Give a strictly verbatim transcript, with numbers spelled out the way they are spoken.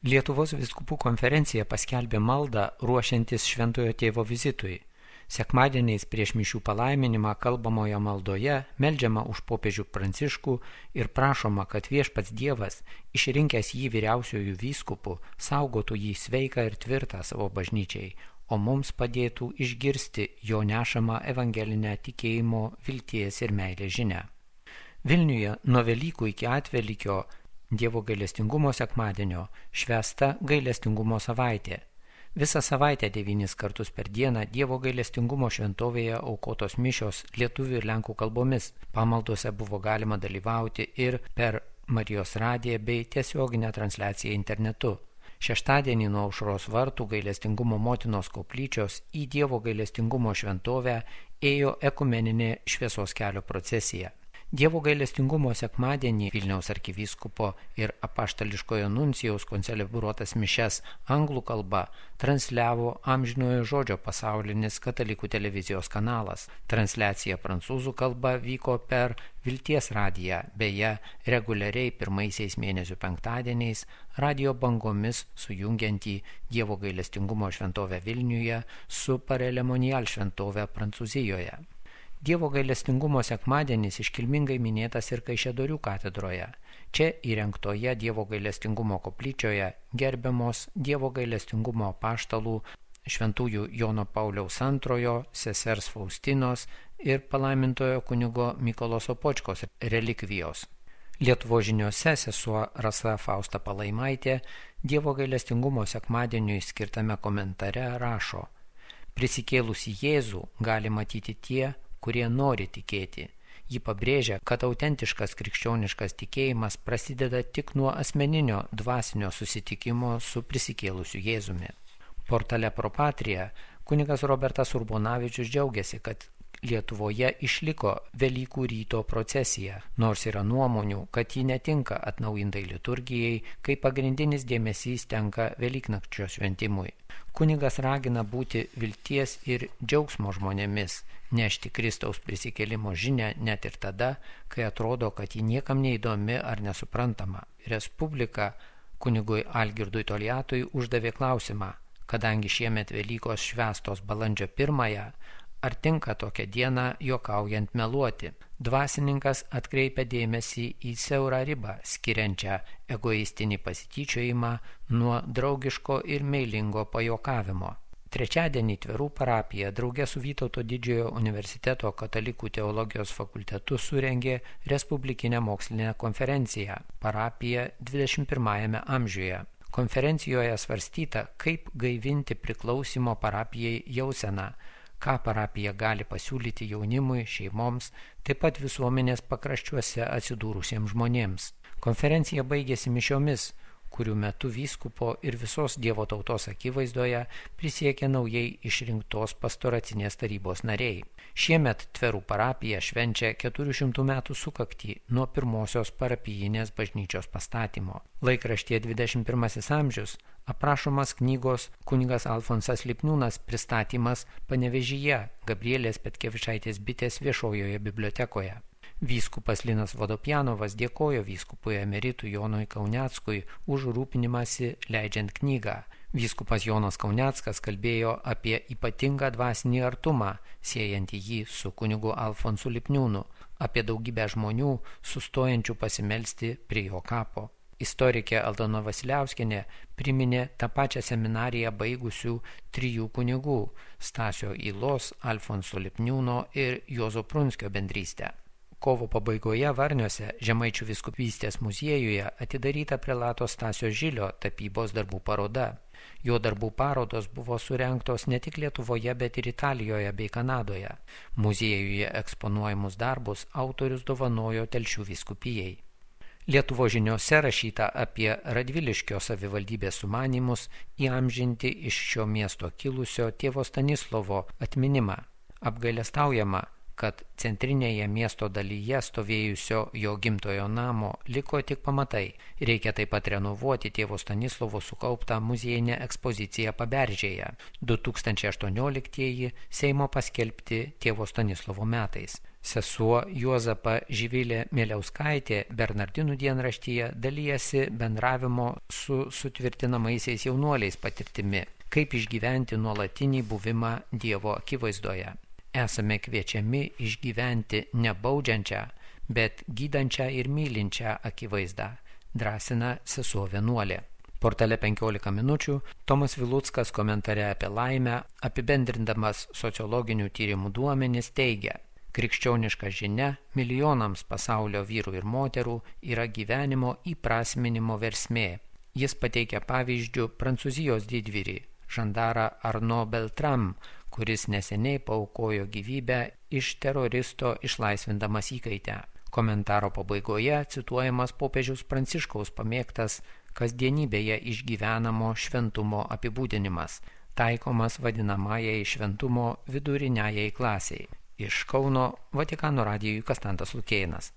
Lietuvos vyskupų konferencija paskelbė maldą ruošiantis Šventojo Tėvo vizitui. Sekmadieniais prieš mišių palaiminimą kalbamoje maldoje meldžiama už popiežių Pranciškų ir prašoma, kad viešpats Dievas, išrinkęs jį vyriausiojų vyskupų, saugotų jį sveiką ir tvirtą savo bažnyčiai, o mums padėtų išgirsti jo nešamą evangelinę tikėjimo, vilties ir meilės žinią. Vilniuje nuo Velykų iki Atvelykio Dievo gailestingumo sekmadienio švęsta gailestingumo savaitė. Visą savaitę devynis kartus per dieną Dievo gailestingumo šventovėje aukotos mišios lietuvių ir lenkų kalbomis. Pamaldose buvo galima dalyvauti ir per Marijos radiją bei tiesioginę transliaciją internetu. Šeštadienį nuo aušros vartų gailestingumo motinos koplyčios į Dievo gailestingumo šventovę ėjo ekumeninė šviesos kelio procesija. Dievo gailestingumo sekmadienį Vilniaus arkivyskupo ir apaštališkojo nuncijaus koncelebruotas mišias anglų kalba transliavo Amžinojo žodžio pasaulinis katalikų televizijos kanalas. Transliacija prancūzų kalba vyko per Vilties radiją, beje, reguliariai pirmaisiais mėnesių penktadieniais radijo bangomis sujungiantį Dievo gailestingumo šventovę Vilniuje su Parelemonial šventove Prancūzijoje. Dievo gailestingumo sekmadienis iškilmingai minėtas ir Kaišiadorių katedroje. Čia įrengtoje Dievo gailestingumo koplyčioje gerbiamos Dievo gailestingumo apaštalų šventųjų Jono Pauliaus antrojo, sesers Faustinos ir palaimintojo kunigo Mykolo Sopočkos relikvijos. Lietuvos žiniose sesuo Rasa Fausta Palaimaitė Dievo gailestingumo sekmadieniui skirtame komentare rašo: prisikėlusį Jėzų gali matyti tie, kurie nori tikėti. Ji pabrėžia, kad autentiškas krikščioniškas tikėjimas prasideda tik nuo asmeninio dvasinio susitikimo su prisikėlusiu Jėzumi. Portale Pro Patria kunigas Robertas Urbonavičius džiaugiasi, kad Lietuvoje išliko Velykų ryto procesija, nors yra nuomonių, kad ji netinka atnaujintai liturgijai, kai pagrindinis dėmesys tenka Velyknakčio šventimui. Kunigas ragina būti vilties ir džiaugsmo žmonėmis, nešti Kristaus prisikėlimo žinią net ir tada, kai atrodo, kad ji niekam neįdomi ar nesuprantama. Respublika kunigui Algirdui Toliatui uždavė klausimą, kadangi šiemet Velykos švęstos balandžio pirmąją, ar tinka tokią dieną juokaujant meluoti. Dvasininkas atkreipia dėmesį į siaurą ribą, skiriančią egoistinį pasityčiojimą nuo draugiško ir meilingo pajuokavimo. Trečiadienį Tverų parapija drauge su Vytauto Didžiojo universiteto katalikų teologijos fakultetu surengė respublikinę mokslinę konferenciją Parapija dvidešimt pirmajame amžiuje. Konferencijoje svarstyta, kaip gaivinti priklausimo parapijai jauseną, ką parapija gali pasiūlyti jaunimui, šeimoms, taip pat visuomenės pakraščiuose atsidūrusiems žmonėms. Konferencija baigėsi mišiomis, kurių metu vyskupo ir visos Dievo tautos akivaizdoje prisiekė naujai išrinktos pastoracinės tarybos nariai. Šiemet Tverų parapija švenčia keturių šimtų metų sukaktį nuo pirmosios parapijinės bažnyčios pastatymo. Laikraštyje dvidešimt pirmasis amžius aprašomas knygos kunigas Alfonsas Lipniūnas pristatymas Panevėžyje Gabrielės Petkevičaitės bitės viešojoje bibliotekoje. Vyskupas Linas Vodopjanovas dėkojo vyskupui emeritui Jonui Kauneckui už rūpinimąsi leidžiant knygą. Vyskupas Jonas Kauneckas kalbėjo apie ypatingą dvasinį artumą, siejantį jį su kunigu Alfonsu Lipniūnu, apie daugybę žmonių sustojančių pasimelsti prie jo kapo. Istorikė Aldona Vasiliauskienė priminė tą pačią seminariją baigusių trijų kunigų Stasio Ylos, Alfonso Lipniūno ir Juozo Prunskio bendrystę. Kovo pabaigoje Varniuose Žemaičių vyskupystės muziejuje atidaryta prelato Stasio Žilio tapybos darbų paroda. Jo darbų parodos buvo surengtos ne tik Lietuvoje, bet ir Italijoje bei Kanadoje. Muziejuje eksponuojamus darbus autorius dovanojo Telšių vyskupijai. Lietuvos žiniose rašyta apie Radviliškio savivaldybės sumanymus įamžinti iš šio miesto kilusio tėvo Stanislovo atminimą. Apgailestaujama, kad centrinėje miesto dalyje stovėjusio jo gimtojo namo liko tik pamatai. Reikia taip pat renovuoti tėvo Stanislovo sukauptą muziejinę ekspoziciją Paberžėje. du tūkstančiai aštuonioliktieji Seimo paskelbti tėvo Stanislovo metais. Sesuo Juozapa Živilė Mieliauskaitė Bernardinų dienraštyje dalyjasi bendravimo su sutvirtinamaisiais jaunuoliais patirtimi, kaip išgyventi nuolatinį buvimą Dievo akivaizdoje. Esame kviečiami išgyventi ne baudžiančią, bet gydančią ir mylinčią akivaizdą, drąsina sesuo vienuolė. Portale penkiolika minučių Tomas Viluckas komentare apie laimę, apibendrindamas sociologinių tyrimų duomenis, teigia: krikščioniška žinia milijonams pasaulio vyrų ir moterų yra gyvenimo įprasminimo versmė. Jis pateikia pavyzdžių Prancūzijos didvyrį, žandarą Arnaud Beltrame, kuris neseniai paaukojo gyvybę iš teroristo išlaisvindamas įkaitę. Komentaro pabaigoje cituojamas popiežiaus Pranciškaus pamėgtas kasdienybėje išgyvenamo šventumo apibūdinimas, taikomas vadinamajai šventumo viduriniajai klasiai. Iš Kauno Vatikano radijui Kastantas Lukėnas.